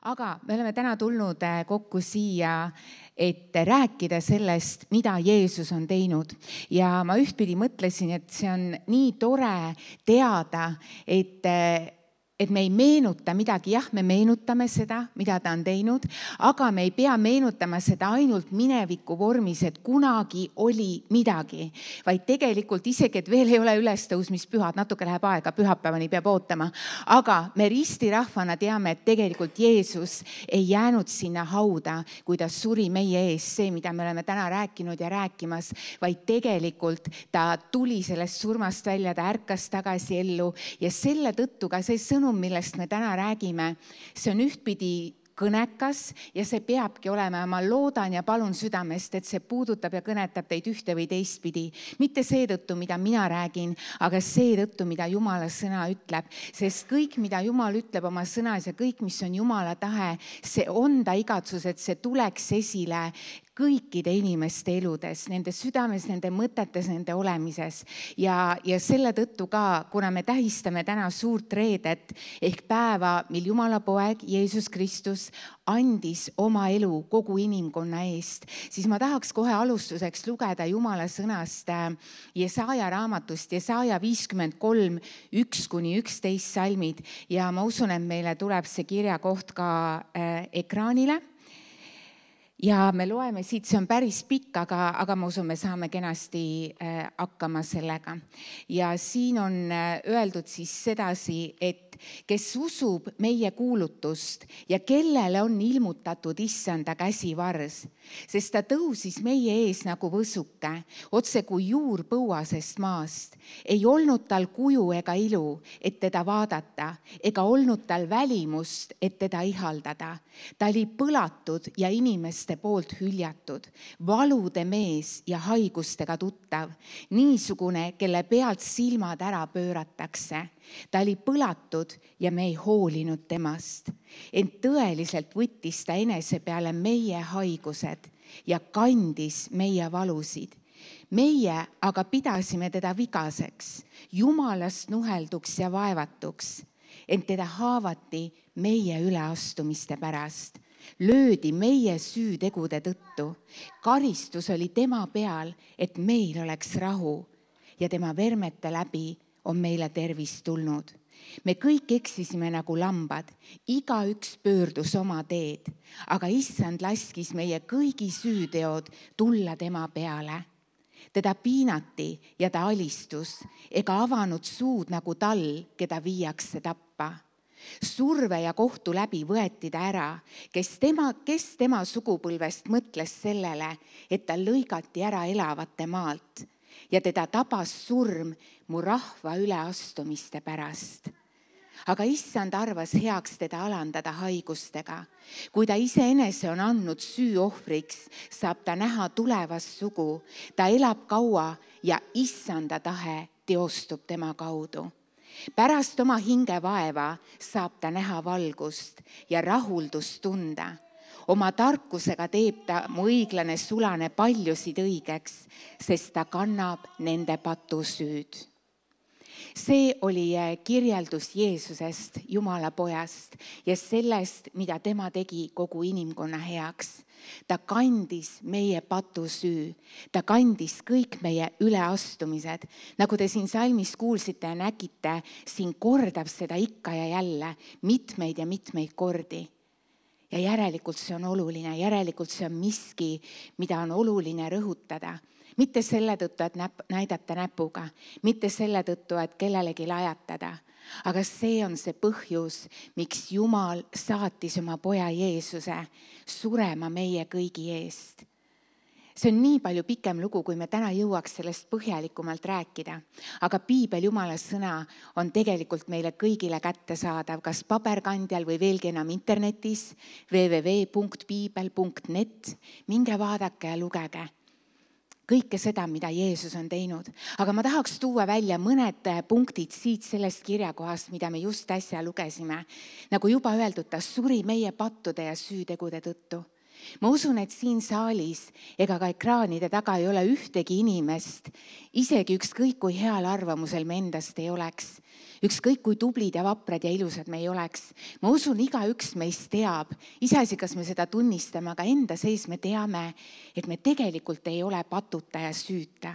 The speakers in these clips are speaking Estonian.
Aga me oleme täna tulnud kokku siia, et rääkida sellest, mida Jeesus on teinud. Ja ma ühtpidi mõtlesin, et see on nii tore teada, et me ei meenuta midagi. Jah, me meenutame seda, mida ta on teinud, aga me ei pea meenutama seda ainult mineviku vormis, et kunagi oli midagi. Vaid tegelikult isegi, et veel ei ole ülestõusmispühad, natuke läheb aega, pühapäevani peab ootama. Aga me ristirahvana teame, et tegelikult Jeesus ei jäänud sinna hauda, kui ta suri meie ees, see, mida me oleme täna rääkinud ja rääkimas, vaid tegelikult ta tuli sellest surmast välja, ta ärkas tagasi ellu ja selle tõttu ka see sõnum, millest me täna räägime, see on ühtpidi kõnekas ja see peabki olema. Ma loodan ja palun südamest, et see puudutab ja kõnetab teid ühte või teistpidi. Mitte seetõttu, mida mina räägin, aga seetõttu, mida Jumala sõna ütleb. Sest kõik, mida Jumal ütleb oma sõnas ja kõik, mis on Jumala tahe, see on ta igatsus, et see tuleks esile kõikide inimeste eludes, nende südames, nende mõtetes, nende olemises. Ja selle tõttu ka, kuna me tähistame täna suurt reedet ehk päeva, mil Jumala poeg Jeesus Kristus andis oma elu kogu inimkonna eest, siis ma tahaks kohe alustuseks lugeda Jumala sõnast Jesaja raamatust, Jesaja 53, 1-11 salmid. Ja ma usun, et meile tuleb see kirjakoht ka ekraanile. Ja me loeme siit, see on päris pikk, aga ma usun, me saame kenasti hakkama sellega. Ja siin on öeldud siis sedasi, et kes usub meie kuulutust ja kellele on ilmutatud issanda käsivars, sest ta tõusis meie ees nagu võsuke, otse kui juur põuasest maast. Ei olnud tal kuju ega ilu, et teda vaadata, ega olnud tal välimust, et teda ihaldada. Ta oli põlatud ja inimeste poolt hüljatud, valude mees ja haigustega tuttav, niisugune, kelle pealt silmad ära pööratakse. Ta oli põlatud ja me ei hoolinud temast. Ent tõeliselt võttis ta enese peale meie haigused ja kandis meie valusid. Meie aga pidasime teda vigaseks, jumalast nuhelduks ja vaevatuks, ent teda haavati meie üleastumiste pärast. Löödi meie süütegude tõttu. Karistus oli tema peal, et meil oleks rahu ja tema vermete läbi on meile tervis tulnud. Me kõik eksisime nagu lambad, igaüks pöördus oma teed, aga issand laskis meie kõigi süüteod tulla tema peale. Teda piinati ja ta alistus, ega avanud suud nagu tall, keda viiakse tappa. Surve ja kohtu läbi võeti ta ära, kes tema sugupõlvest mõtles sellele, et ta lõigati ära elavate maalt ja teda tabas surm mu rahva üleastumiste pärast. Aga issand arvas heaks teda alandada haigustega. Kui ta iseenese on andnud süüohvriks, saab ta näha tulevast sugu. Ta elab kaua ja issanda tahe teostub tema kaudu. Pärast oma hinge vaeva saab ta näha valgust ja rahuldust tunda. Oma tarkusega teeb ta mu õiglane sulane paljusid õigeks, sest ta kannab nende patusüüd. See oli kirjeldus Jeesusest, Jumala pojast ja sellest, mida tema tegi kogu inimkonna heaks. Ta kandis meie patusüü, ta kandis kõik meie üleastumised. Nagu te siin salmis kuulsite ja nägite, siin kordab seda ikka ja jälle mitmeid ja mitmeid kordi. Ja järelikult see on oluline, järelikult see on miski, mida on oluline rõhutada. Mitte selle tõttu, et näidata näpuga, mitte selle tõttu, et kellelegi lajatada, aga see on see põhjus, miks Jumal saatis oma poja Jeesuse surema meie kõigi eest. See on nii palju pikem lugu, kui me täna jõuaks sellest põhjalikumalt rääkida. Aga piibel, Jumala sõna, on tegelikult meile kõigile kättesaadav, kas paberkandjal või veelgi enam internetis, www.piibel.net. Minge vaadake ja lugege kõike seda, mida Jeesus on teinud. Aga ma tahaks tuua välja mõned punktid siit sellest kirjakohast, mida me just äsja lugesime. Nagu juba öeldud, ta suri meie pattude ja süütegude tõttu. ma usun, et siin saalis ega ka ekraanide taga ei ole ühtegi inimest, isegi ükskõik kui heal arvamusel me endast ei oleks, ükskõik kui tublid ja vaprad ja ilusad me ei oleks. ma usun, igaüks meist teab, iseasi, kas me seda tunnistame, aga enda sees me teame, et me tegelikult ei ole patuta ja süüta.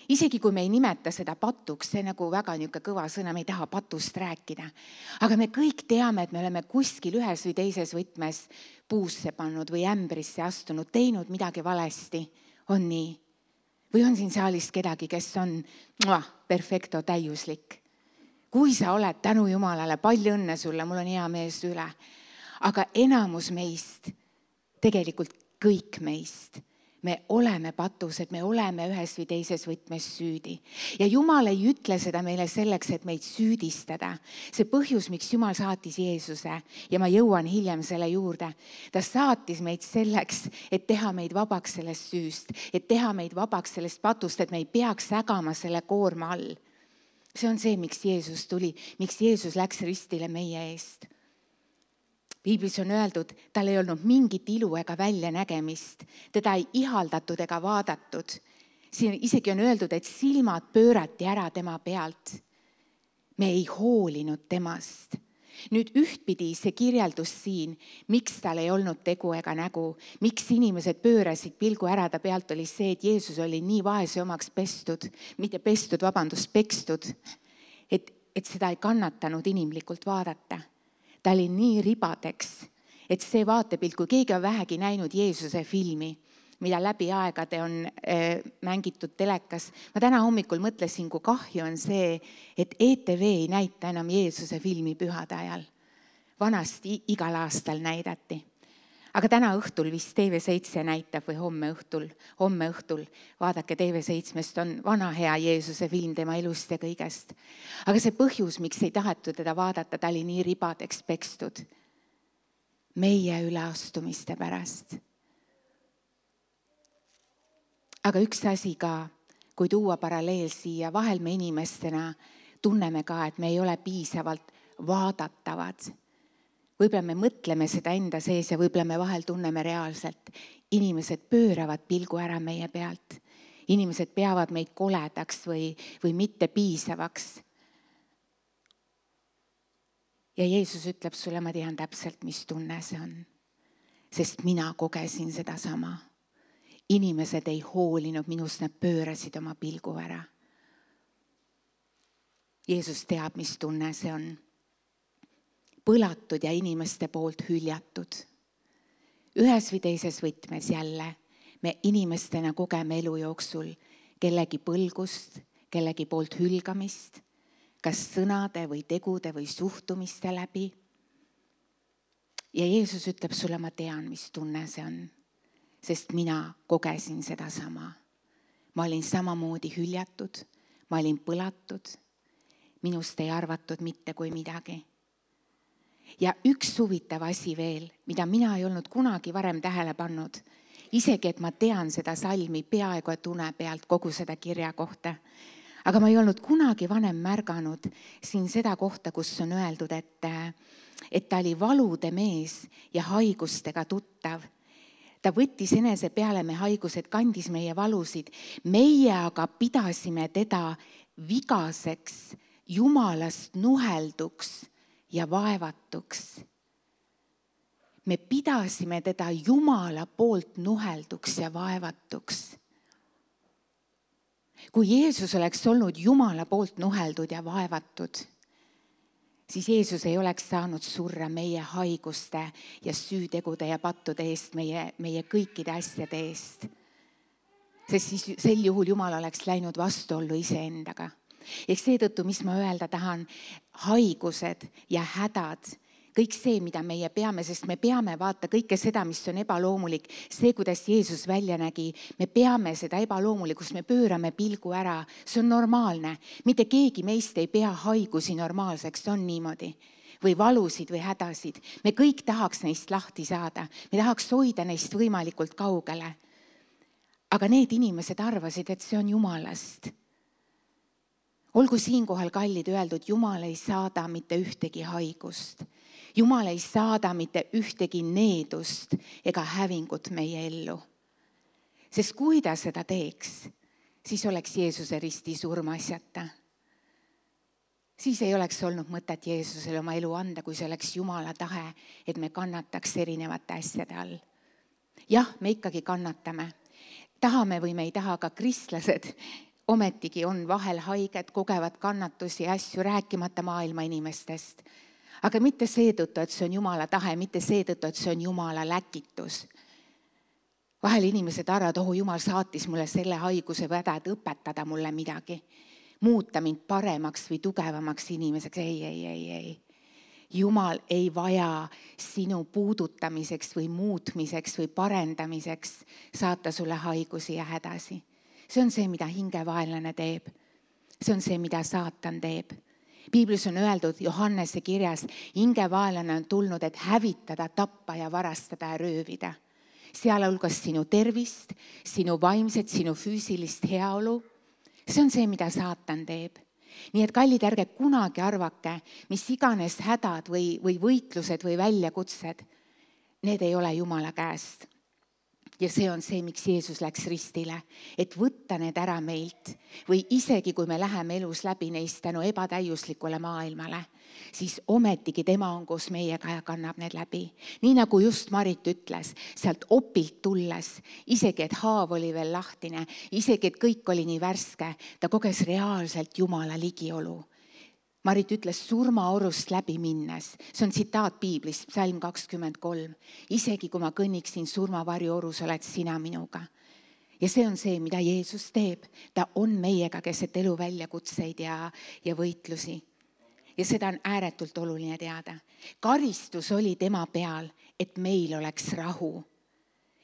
Isegi kui me ei nimeta seda patuks, see nagu väga niisugune kõva sõna, me ei taha patust rääkida. Aga me kõik teame, et me oleme kuskil ühes või teises võtmes puusse pannud või ämbrisse astunud, teinud midagi valesti. On nii? Või on siin saalis kedagi, kes on perfecto, täiuslik? Kui sa oled, tänu Jumalale, palju õnne sulle, mul on hea mees üle. Aga enamus meist, tegelikult kõik meist, me oleme patused, me oleme ühes või teises võtmes süüdi. Ja Jumal ei ütle seda meile selleks, et meid süüdistada. See põhjus, miks Jumal saatis Jeesuse, ja ma jõuan hiljem selle juurde, ta saatis meid selleks, et teha meid vabaks sellest süüst, et teha meid vabaks sellest patust, et me ei peaks ägama selle koorma all. See on see, miks Jeesus tuli, miks Jeesus läks ristile meie eest. Piiblis on öeldud, tal ei olnud mingit ilu ega väljanägemist, teda ei ihaldatud ega vaadatud. Siin isegi on öeldud, et silmad pöörati ära tema pealt. Me ei hoolinud temast. Nüüd ühtpidi see kirjeldus siin, miks tal ei olnud tegu ega nägu, miks inimesed pöörasid pilgu ära ta pealt, oli see, et Jeesus oli nii vaese omaks pestud, pekstud, et seda ei kannatanud inimlikult vaadata. Ta oli nii ribadeks, et see vaatepilt, kui keegi on vähegi näinud Jeesuse filmi, mida läbi aegade on mängitud telekas. Ma täna hommikul mõtlesin, kui kahju on see, et ETV ei näita enam Jeesuse filmi pühade ajal. Vanasti igal aastal näidati. Aga täna õhtul vist TV7 näitab või homme õhtul, vaadake TV7-st on vana hea Jeesuse film tema elust ja kõigest. Aga see põhjus, miks ei tahetud teda vaadata, ta oli nii ribadeks pekstud. Meie üleastumiste pärast. Aga üks asi ka, kui tuua paralleel siia, vahel me inimestena tunneme ka, et me ei ole piisavalt vaadatavad. Võib-olla me mõtleme seda enda sees ja võib-olla me vahel tunneme reaalselt. Inimesed pööravad pilgu ära meie pealt. Inimesed peavad meid koledaks või mitte piisavaks. Ja Jeesus ütleb sulle, ma tean täpselt, mis tunne see on. Sest mina kogesin seda sama. Inimesed ei hoolinud minust, nad pöörasid oma pilgu ära. Jeesus teab, mis tunne see on. Põlatud ja inimeste poolt hüljatud. Ühes või teises võtmes jälle me inimestena kogeme elu jooksul kellegi põlgust, kellegi poolt hülgamist, kas sõnade või tegude või suhtumiste läbi. Ja Jeesus ütleb sulle, ma tean, mis tunne see on, sest mina kogesin seda sama. Ma olin samamoodi hüljatud, ma olin põlatud, minust ei arvatud mitte kui midagi. Ja üks huvitav asi veel, mida mina ei olnud kunagi varem tähele pannud, isegi et ma tean seda salmi peaaegu et une pealt kogu seda kirja kohta. Aga ma ei olnud kunagi vanem märganud siin seda kohta, kus on öeldud, et ta oli valude mees ja haigustega tuttav. Ta võttis enese peale me haigused, kandis meie valusid. Meie aga pidasime teda vigaseks, Jumalast nuhelduks ja vaevatuks. Me pidasime teda Jumala poolt nuhelduks ja vaevatuks. Kui Jeesus oleks olnud Jumala poolt nuheldud ja vaevatud, siis Jeesus ei oleks saanud surra meie haiguste ja süütegude ja pattude eest, meie kõikide asjade eest. Sest siis sel juhul Jumal oleks läinud vastuollu iseendaga. Ehk seetõttu, mis ma öelda tahan, haigused ja hädad, kõik see, mida meie peame, sest me peame vaata kõike seda, mis on ebaloomulik, see, kuidas Jeesus välja nägi, me peame seda ebaloomulikust, me pöörame pilgu ära, see on normaalne. Mitte keegi meist ei pea haigusi normaalseks, see on niimoodi. Või valusid või hädasid. Me kõik tahaks neist lahti saada, me tahaks hoida neist võimalikult kaugele. Aga need inimesed arvasid, et see on Jumalast. Olgu siinkohal kallid öeldud, Jumal ei saada mitte ühtegi haigust. Jumal ei saada mitte ühtegi needust ega hävingut meie ellu. Sest kui ta seda teeks, siis oleks Jeesuse risti surm asjata. Siis ei oleks olnud mõtet Jeesusele oma elu anda, kui see oleks Jumala tahe, et me kannataks erinevate asjade all. Jah, me ikkagi kannatame. Tahame või me ei taha, aga kristlased ometigi on vahel haiged, kogevad kannatusi ja asju, rääkimata maailma inimestest. Aga mitte seetõttu, et see on Jumala tahe, mitte seetõttu, et see on Jumala läkitus. Vahel inimesed arvavad, Jumal saatis mulle selle haiguse väda, et õpetada mulle midagi. Muuta mind paremaks või tugevamaks inimeseks. Ei. Jumal ei vaja sinu puudutamiseks või muutmiseks või parendamiseks saata sulle haigusi ja hädasi. See on see, mida hingevaenlane teeb. See on see, mida saatan teeb. Piiblis on öeldud Johannese kirjas, hingevaenlane on tulnud, et hävitada, tappa ja varastada ja röövida. Sealhulgas sinu tervist, sinu vaimset, sinu füüsilist heaolu. See on see, mida saatan teeb. Nii et kallid, ärge kunagi arvake, mis iganes hädad või võitlused või väljakutsed, need ei ole Jumala käest. Ja see on see, miks Jeesus läks ristile, et võtta need ära meilt või isegi kui me läheme elus läbi neist tänu ebatäiuslikule maailmale, siis ometigi tema on koos meiega ja kannab need läbi. Nii nagu just Marit ütles, sealt opilt tulles, isegi et haav oli veel lahtine, isegi et kõik oli nii värske, ta koges reaalselt Jumala ligiolu. Marit ütles surmaorust läbi minnes. See on tsitaat Piiblist, psalm 23. Isegi kui ma kõnniksin surmavarjuorus, oled sina minuga. Ja see on see, mida Jeesus teeb. Ta on meiega keset elu väljakutseid ja võitlusi. Ja seda on ääretult oluline teada. Karistus oli tema peal, et meil oleks rahu.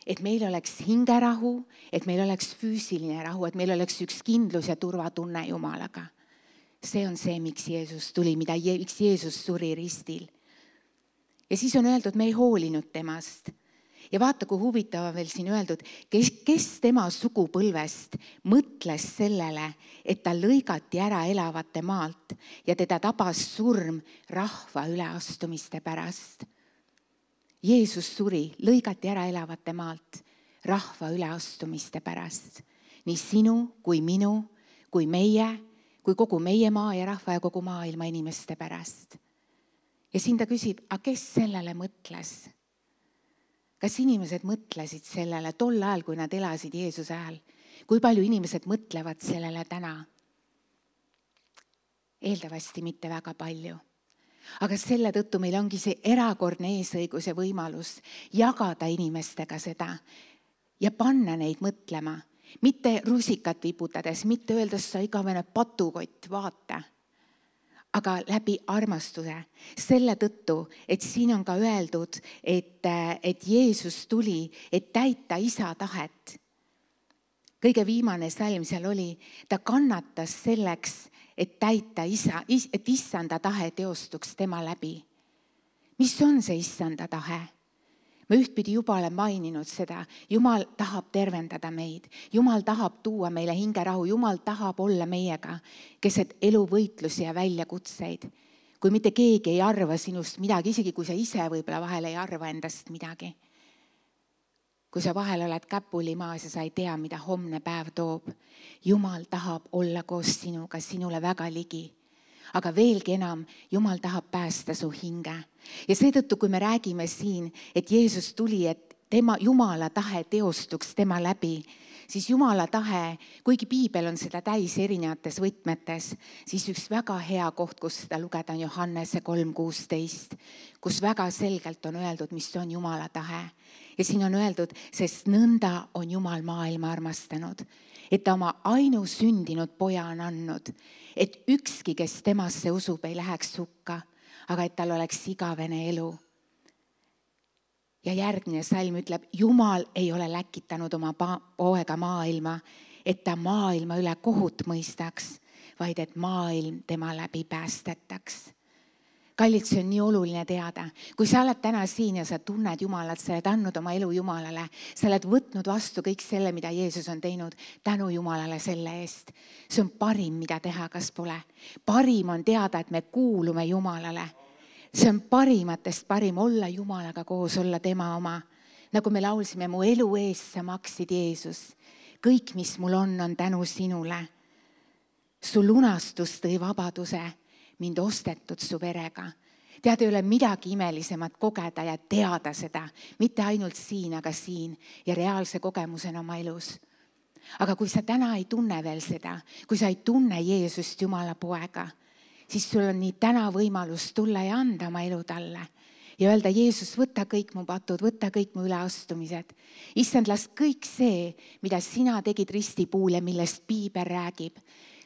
Et meil oleks hingerahu, et meil oleks füüsiline rahu, et meil oleks üks kindlus ja turvatunne Jumalaga. See on see, miks Jeesus tuli, miks Jeesus suri ristil. Ja siis on öeldud, me ei hoolinud temast. Ja vaata, kui huvitav on veel siin öeldud, kes tema sugupõlvest mõtles sellele, et ta lõigati ära elavate maalt ja teda tabas surm rahva üleastumiste pärast. Jeesus suri, lõigati ära elavate maalt rahva üleastumiste pärast. Nii sinu kui minu, kui meie, kui kogu meie maa ja rahva ja kogu maailma inimeste pärast. Ja siin ta küsib, aga kes sellele mõtles? Kas inimesed mõtlesid sellele tol ajal, kui nad elasid Jeesuse ajal? Kui palju inimesed mõtlevad sellele täna? Eeldavasti mitte väga palju. Aga selle tõttu meil ongi see erakordne eesõigus ja võimalus jagada inimestega seda ja panna neid mõtlema. Mitte rusikat viputades, mitte öeldes sa igavene patukott, vaata. Aga läbi armastuse. Selle tõttu, et siin on ka öeldud, et Jeesus tuli, et täita isa tahet. Kõige viimane salm seal oli, ta kannatas selleks, et täita et issanda tahe teostuks tema läbi. Mis on see issanda tahe? Ma ühtpidi juba olen maininud seda. Jumal tahab tervendada meid. Jumal tahab tuua meile hingerahu. Jumal tahab olla meiega keset eluvõitlusi ja väljakutseid. Kui mitte keegi ei arva sinust midagi, isegi kui sa ise võib-olla vahel ei arva endast midagi. Kui sa vahel oled käpuli maas ja sa ei tea, mida homne päev toob. Jumal tahab olla koos sinuga, sinule väga ligi. Aga veelgi enam, Jumal tahab päästa su hinge. Ja seetõttu, kui me räägime siin, et Jeesus tuli, et tema Jumala tahe teostuks tema läbi, siis Jumala tahe, kuigi Piibel on seda täis erinevates võtmetes, siis üks väga hea koht, kus seda lugeda on Johannese 3:16, kus väga selgelt on öeldud, mis on Jumala tahe. Ja siin on öeldud, sest nõnda on Jumal maailma armastanud, et ta oma ainusündinud poja on andnud, et ükski, kes temasse usub, ei läheks hukka, aga et tal oleks igavene elu. Ja järgmine salm ütleb, Jumal ei ole läkitanud oma poega maailma, et ta maailma üle kohut mõistaks, vaid et maailm tema läbi päästetaks. Kallid, see on nii oluline teada. Kui sa oled täna siin ja sa tunned Jumalat, sa oled andnud oma elu Jumalale, sa oled võtnud vastu kõik selle, mida Jeesus on teinud, tänu Jumalale selle eest. See on parim, mida teha, kas pole. Parim on teada, et me kuulume Jumalale. see on parimatest parim olla Jumalaga koos, olla tema oma. Nagu me laulsime, mu elu eest sa maksid, Jeesus. Kõik, mis mul on tänu sinule. Su lunastus tõi vabaduse, mind ostetud su verega. Tead, ei ole midagi imelisemat kogeda ja teada seda, mitte ainult siin, aga siin ja reaalse kogemusena oma elus. Aga kui sa täna ei tunne veel seda, kui sa ei tunne Jeesust Jumala poega, siis sul on nii täna võimalus tulla ja anda oma elu talle ja öelda, Jeesus, võta kõik mu patud, võta kõik mu üleastumised. Issand, las kõik see, mida sina tegid ristipuul ja millest Piibel räägib,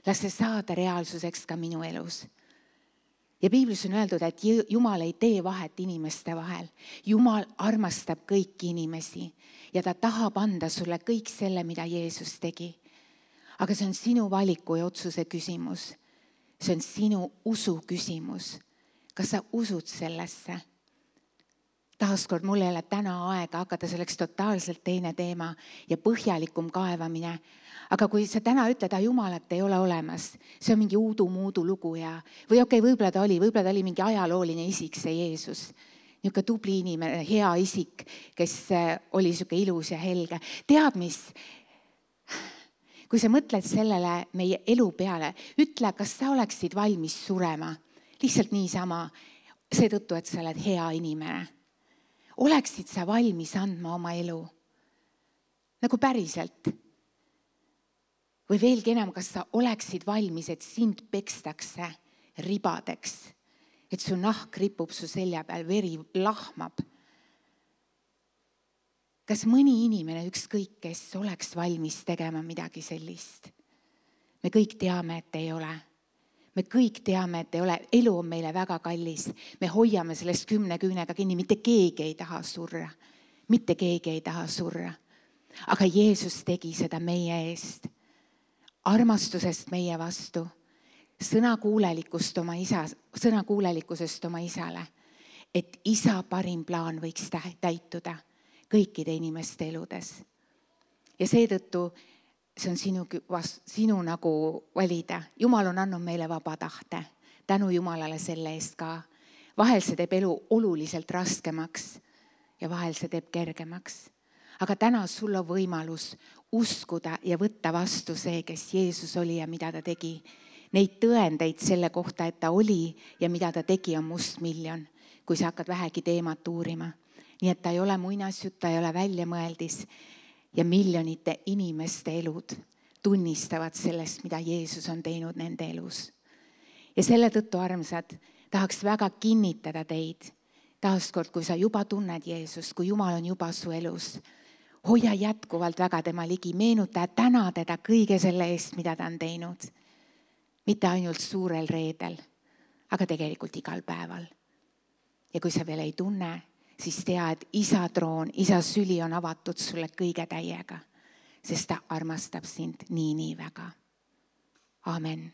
las see saada reaalsuseks ka minu elus. Ja Piiblis on öeldud, et Jumal ei tee vahet inimeste vahel. Jumal armastab kõiki inimesi ja ta tahab anda sulle kõik selle, mida Jeesus tegi. Aga see on sinu valiku ja otsuse küsimus. See on sinu usu küsimus. Kas sa usud sellesse? Taaskord mul ei ole täna aega hakata selleks totaalselt teine teema ja põhjalikum kaevamine. Aga kui sa täna ütled, et Jumalat ei ole olemas, see on mingi uudu-muudu lugu või võib-olla ta oli mingi ajalooline isik, see Jeesus. Niisugune tubli inimene, hea isik, kes oli niisugune ilus ja helge. Tead mis? Kui sa mõtled sellele meie elu peale, ütle, kas sa oleksid valmis surema. Lihtsalt niisama, seetõttu, et sa oled hea inimene. Oleksid sa valmis andma oma elu? Nagu päriselt. Või veelgi enam, kas sa oleksid valmis, et sind pekstakse ribadeks, et su nahk ripub su selja peal, veri lahmab. Kas mõni inimene, ükskõik kes, oleks valmis tegema midagi sellist? Me kõik teame, et ei ole. Me kõik teame, et ei ole. Elu on meile väga kallis. Me hoiame sellest 10 küünega kinni. Mitte keegi ei taha surra. Mitte keegi ei taha surra. Aga Jeesus tegi seda meie eest. Armastusest meie vastu, sõnakuulelikkusest oma isale, et isa parim plaan võiks täituda kõikide inimeste eludes. Ja seetõttu see on sinu nagu valida. Jumal on andnud meile vaba tahte. Tänu Jumalale selle eest ka. Vahel see teeb elu oluliselt raskemaks ja vahel see teeb kergemaks. Aga täna sul on võimalus uskuda ja võtta vastu see, kes Jeesus oli ja mida ta tegi. Neid tõendeid selle kohta, et ta oli ja mida ta tegi, on mustmiljon, kui sa hakkad vähegi teemat uurima. Nii et ta ei ole muinasjutt, ta ei ole väljamõeldis ja miljonite inimeste elud tunnistavad sellest, mida Jeesus on teinud nende elus. Ja selle tõttu, armsad, tahaks väga kinnitada teid. Taaskord, kui sa juba tunned Jeesust, kui Jumal on juba su elus, hoia jätkuvalt väga tema ligi, meenuta ja täna teda kõige selle eest, mida ta on teinud. Mitte ainult suurel reedel, aga tegelikult igal päeval. Ja kui sa veel ei tunne, siis tea, et isa troon, isa süli on avatud sulle kõige täiega, sest ta armastab sind nii väga. Amen.